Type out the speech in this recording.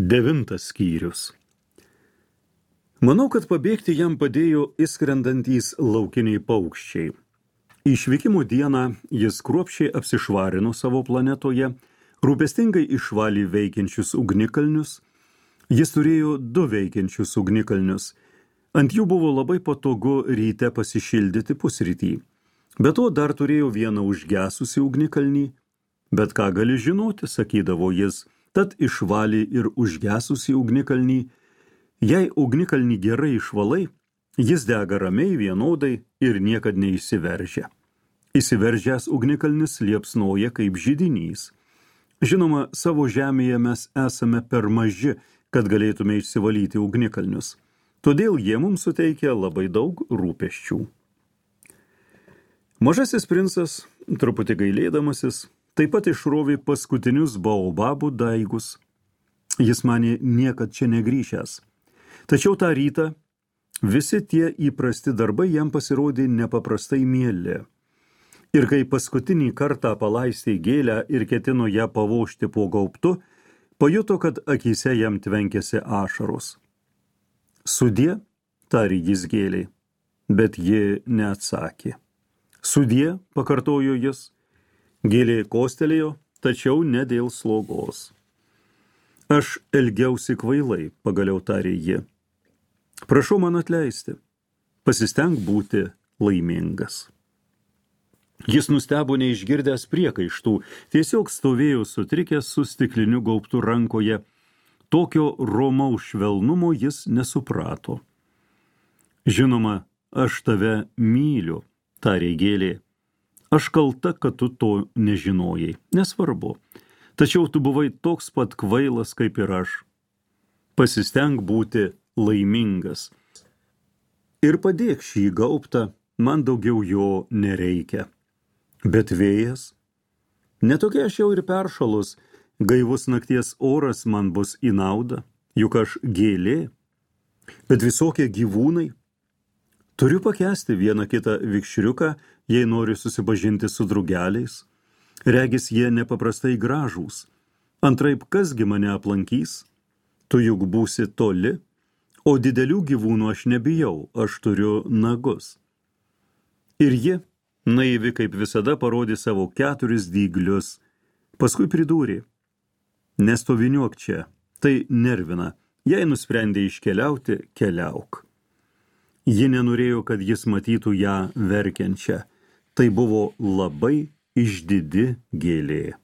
9 skyrius. Manau, kad pabėgti jam padėjo įskrendantys laukiniai paukščiai. Išvykimo dieną jis kruopščiai apsišvarino savo planetoje, rūpestingai išvalė veikiančius ugnikalnius. Jis turėjo 2 veikiančius ugnikalnius. Ant jų buvo labai patogu ryte pasišildyti pusrytį. Be to dar turėjo vieną užgesusį ugnikalnį. Bet ką gali žinoti, sakydavo jis, tad išvalė ir užgesusį ugnikalnį. Jei ugnikalnį gerai išvalai, jis dega ramiai vienodai ir niekad neįsiveržia. Įsiveržęs ugnikalnis liepsnoja kaip židinys. Žinoma, savo žemėje mes esame per maži, kad galėtume išsivalyti ugnikalnius. Todėl jie mums suteikia labai daug rūpesčių. Mažasis princas, truputį gailėdamasis, taip pat išrovė paskutinius baobabų daigus. Jis manė niekad čia negrįžęs. Tačiau tą rytą visi tie įprasti darbai jam pasirodė nepaprastai mieli. Ir kai paskutinį kartą palaistė gėlę ir ketino ją pavožti po gaubtu, pajuto, kad akyse jam tvenkėsi ašaros. Sudie, tarė jis gėlei, bet ji neatsakė. Sudie, pakartojo jis. Gėlė kostelėjo, tačiau ne dėl slogos. Aš elgiausi kvailai, pagaliau tarė ji. Prašau man atleisti, pasistenk būti laimingas. Jis nustebo neišgirdęs priekaištų, tiesiog stovėjo sutrikęs su stikliniu gaubtu rankoje. Tokio romaus švelnumo jis nesuprato. Žinoma, aš tave myliu, tarė gėlė. Aš kalta, kad tu to nežinojai, nesvarbu. Tačiau tu buvai toks pat kvailas kaip ir aš. Pasistenk būti laimingas. Ir padėk šį gaubtą, man daugiau jo nereikia. Bet vėjas? Netokia aš jau ir peršalus, gaivus nakties oras man bus į naudą, juk aš gėlė. Bet visokie gyvūnai? Turiu pakęsti vieną kitą vikšriuką, jei noriu susipažinti su drugeliais. Regis jie nepaprastai gražūs. Antraip, kasgi mane aplankys? Tu juk būsi toli, o didelių gyvūnų aš nebijau, aš turiu nagus. Ir ji, naivi kaip visada, parodė savo 4 dyglius. Paskui pridūrė, nestoviniuok čia, tai nervina. Jei nusprendė iškeliauti, keliauk. Ji nenorėjo, kad jis matytų ją verkiančią. Tai buvo labai išdidi gėlė.